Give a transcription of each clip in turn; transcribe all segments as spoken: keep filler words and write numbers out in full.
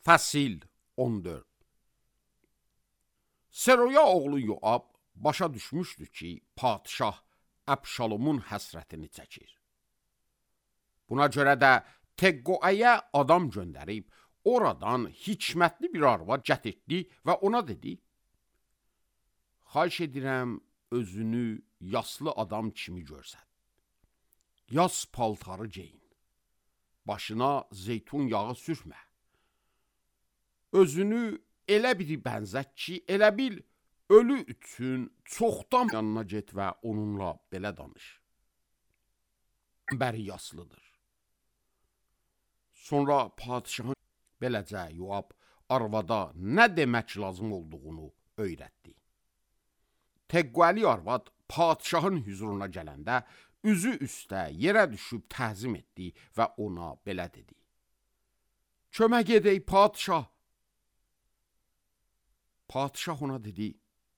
Fəsil on dörd. Seroya oğlu Yoab başa düşmüşdü ki, padişah Əbşalomun həsrətini çəkir. Buna görə də Teqqoəyə adam göndərib, oradan hikmətli bir arvad gətirdi və ona dedi: Xahiş edirəm, özünü yaslı adam kimi görsən. Yas paltarı geyin. Başına zeytun yağı sürmə. Özünü elə biri bənzət ki, elə bil, ölü üçün çoxdan yanına get və onunla belə danış. Bəri yaslıdır. Sonra padişahın beləcə Yoab arvada nə demək lazım olduğunu öyrətdi. Teqqoəli arvad padişahın hüzuruna gələndə üzü üstə yerə düşüb təzim etdi və ona belə dedi: Kömək edək padişah. Padişah ona dedi: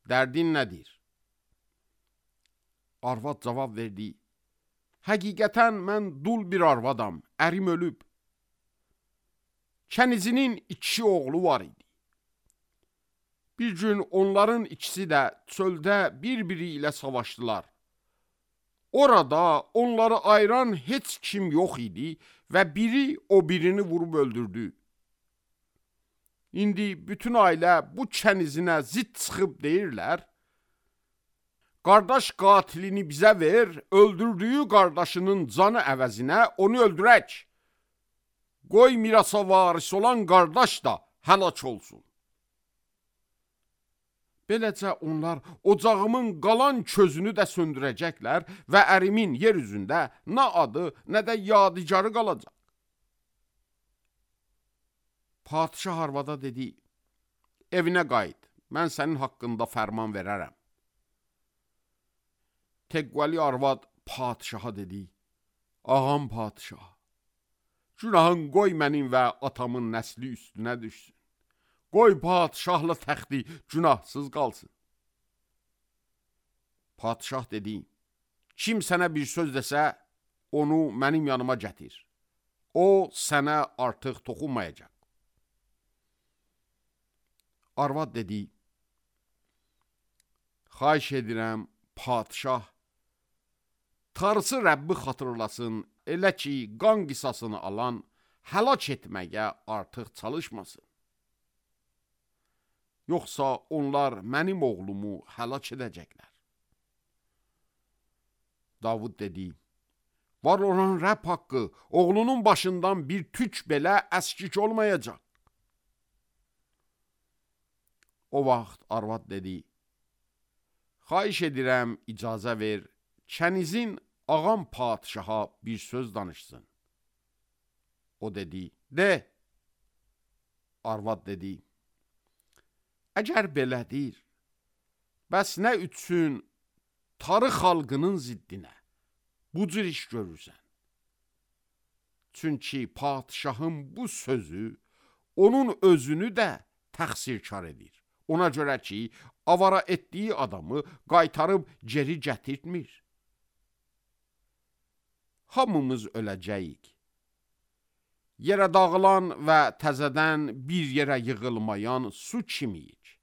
Dərdin nədir? Arvad cavab verdi: Həqiqətən mən dul bir arvadam, ərim ölüb. Kənizinin iki oğlu var idi. Bir gün onların ikisi də çöldə bir-biri ilə savaşdılar. Orada onları ayıran heç kim yox idi və biri o birini vurub öldürdü. İndi bütün ailə bu kənizinə zid çıxıb deyirlər: Qardaş qatilini bizə ver, öldürdüyü qardaşının canı əvəzinə onu öldürək. Qoy mirasa varis olan qardaş da həlak olsun. Beləcə onlar ocağımın qalan közünü də söndürəcəklər və ərimin yer üzündə nə adı, nə də yadigarı qalacaq. Padişah arvada dedi: Evinə qayıt, mən sənin haqqında fərman verərəm. Teqqoəli arvad padişaha dedi: Ağam padişah, günahın qoy mənim və atamın nəsli üstünə düşsün. Qoy padişahla təxti günahsız qalsın. Padişah dedi: Kim sənə bir söz desə, onu mənim yanıma gətir. O sənə artıq toxunmayacaq. Arvad dedi: Xahiş edirəm, padişah, Tanrısı Rəbbi xatırlasın, elə ki, qan qisasını alan həlak etməyə artıq çalışmasın. Yoxsa onlar mənim oğlumu həlak edəcəklər. Davud dedi: Var olan Rəbb haqqı, oğlunun başından bir tük belə əskik olmayacaq. O vaxt arvad dedi: Xahiş edirəm, icazə ver, kənizin ağam padişaha bir söz danışsın. O dedi: De. Arvad dedi: Əgər belədir, bəs nə üçün tarı xalqının ziddinə bu cür iş görürsən? Çünki padişahın bu sözü onun özünü də təqsirkar edir. Ona görə ki, avara etdiyi adamı qaytarıb geri gətirtmir. Hamımız öləcəyik. Yerə dağılan və təzədən bir yerə yığılmayan su kimiyik.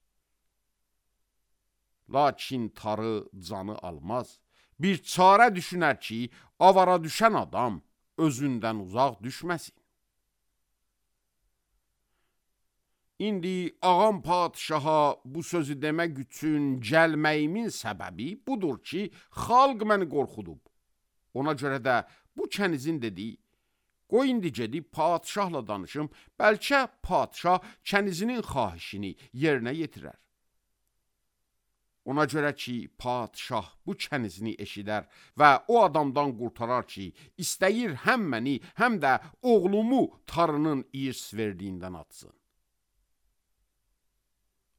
Lakin tarı canı almaz. Bir çarə düşünər ki, avara düşən adam özündən uzaq düşməsin. İndi ağam padişaha bu sözü demək üçün gəlməyimin səbəbi budur ki, xalq məni qorxudub. Ona görə də bu kənizin dediyi: Qoy indi gedib padişahla danışım, bəlkə padişah kənizinin xahişini yerinə yetirər. Ona görə ki, padişah bu kənizini eşidər və o adamdan qurtarar ki, istəyir həm məni, həm də oğlumu tarının irs verdiyindən atsın.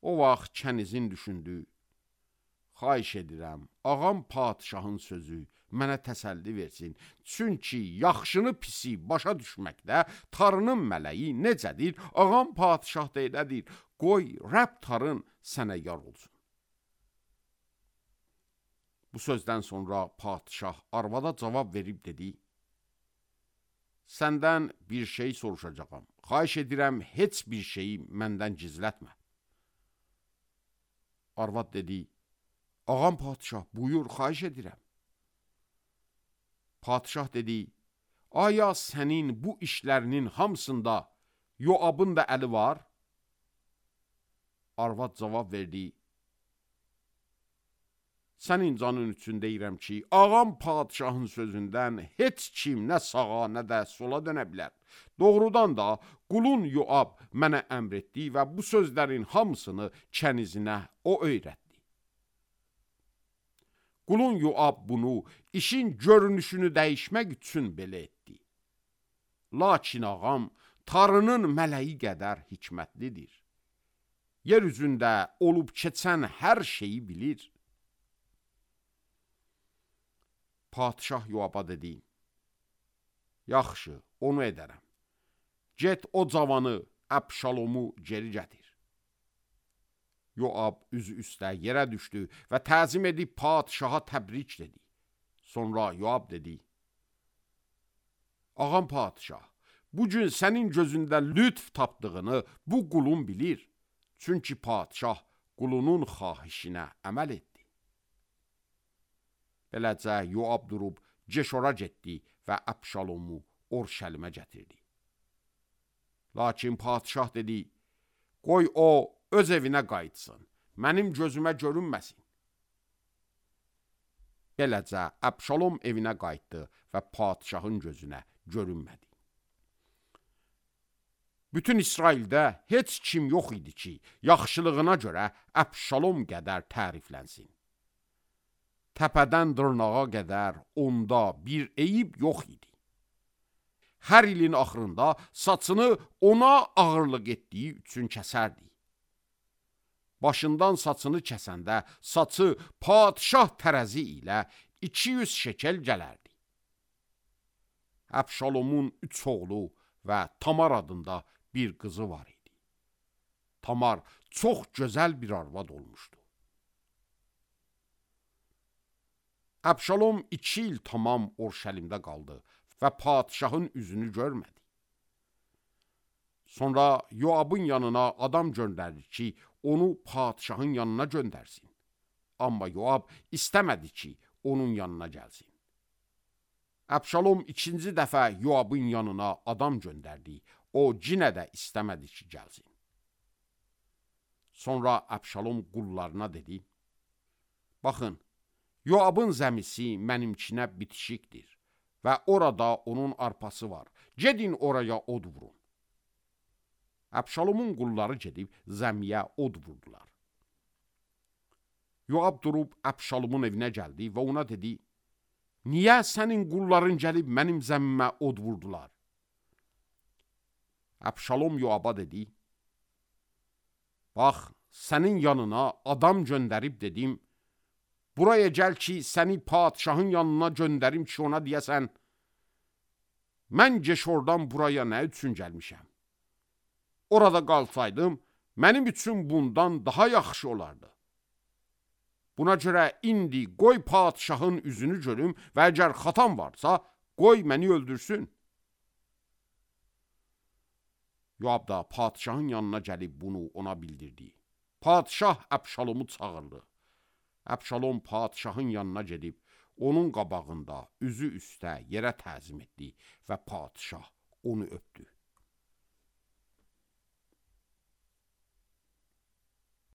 O vaxt kənizin düşündü: Xahiş edirəm, ağam padişahın sözü mənə təsəlli versin. Çünki yaxşını pisi başa düşməkdə tarının mələyi necədir, ağam padişah da elədir. Qoy Rəbb tarın sənə yar olsun. Bu sözdən sonra padişah arvada cavab verib dedi: Səndən bir şey soruşacağam. xahiş edirəm, heç bir şeyi məndən gizlətmə. Arvad dedi, ağam padişah, buyur, xahiş edirəm. Padişah dedi, aya sənin bu işlərinin hamısında Yoabın da əli var? Arvad cavab verdi, sənin canın üçün deyirəm ki, ağam padişahın sözündən heç kim nə sağa, nə də sola dönə bilər. Doğrudan da qulun Yoab mənə əmr etdi və bu sözlərin hamısını kənizinə o öyrətdi. Qulun Yoab bunu işin görünüşünü dəyişmək üçün belə etdi. Lakin ağam Tanrının mələyi qədər hikmətlidir. Yer üzündə olub keçən hər şeyi bilir. Padişah Yoaba dedi, yaxşı, onu edərəm. Get o cavanı, Əbşalomu geri gətir. Yoab üzü üstə yerə düşdü və təzim edib padişaha təbrik dedi. Sonra Yoab dedi, ağam padişah, bugün sənin gözündə lütf tapdığını bu qulun bilir. Çünki padişah qulunun xahişinə əməl etdi. Beləcə Yoab durub Ceşora getdi və Əbşalomu Orşəlimə gətirdi. Lakin padişah dedi, qoy o öz evinə qayıtsın, mənim gözümə görünməsin. Beləcə Əbşalom evinə qayıtdı və padişahın gözünə görünmədi. Bütün İsraildə heç kim yox idi ki, yaxşılığına görə Əbşalom qədər təriflənsin. Təpədən dırnağa qədər onda bir eyib yox idi. Hər ilin axırında saçını ona ağırlıq etdiyi üçün kəsərdi. Başından saçını kəsəndə saçı padişah tərəzi ilə iki yüz şekel gələrdi. Əbşalomun üç oğlu və Tamar adında bir qızı var idi. Tamar çox gözəl bir arvad olmuşdu. Əbşalom iki il tamam Orşəlimdə qaldı və padişahın üzünü görmədi. Sonra Yoabın yanına adam göndərdi ki, onu padişahın yanına göndərsin. Amma Yoab istəmədi ki, onun yanına gəlsin. Əbşalom ikinci dəfə Yoabın yanına adam göndərdi. O cinə də istəmədi ki, gəlsin. Sonra Əbşalom qullarına dedi, baxın, Yoabın zəmisi mənimkinə bitişikdir və orada onun arpası var. Gedin oraya od vurun. Əbşalomun qulları gedib zəmiyə od vurdular. Yoab durub Əbşalomun evinə gəldi və ona dedi, niyə sənin qulların gəlib mənim zəmmimə od vurdular? Əbşalom Yoaba dedi, bax, sənin yanına adam göndərib dedim, buraya gəl ki, səni padişahın yanına göndərim ki, ona deyəsən, mən Ceşordan buraya nə üçün gəlmişəm? Orada qalsaydım, mənim üçün bundan daha yaxşı olardı. Buna görə indi qoy padişahın üzünü görüm və əgər xatam varsa, qoy məni öldürsün. Yoab da padişahın yanına gəlib bunu ona bildirdi. Padişah Əbşalomu çağırdı. Əbşalom padişahın yanına gedib, onun qabağında üzü üstə yerə təzim etdi və padişah onu öpdü.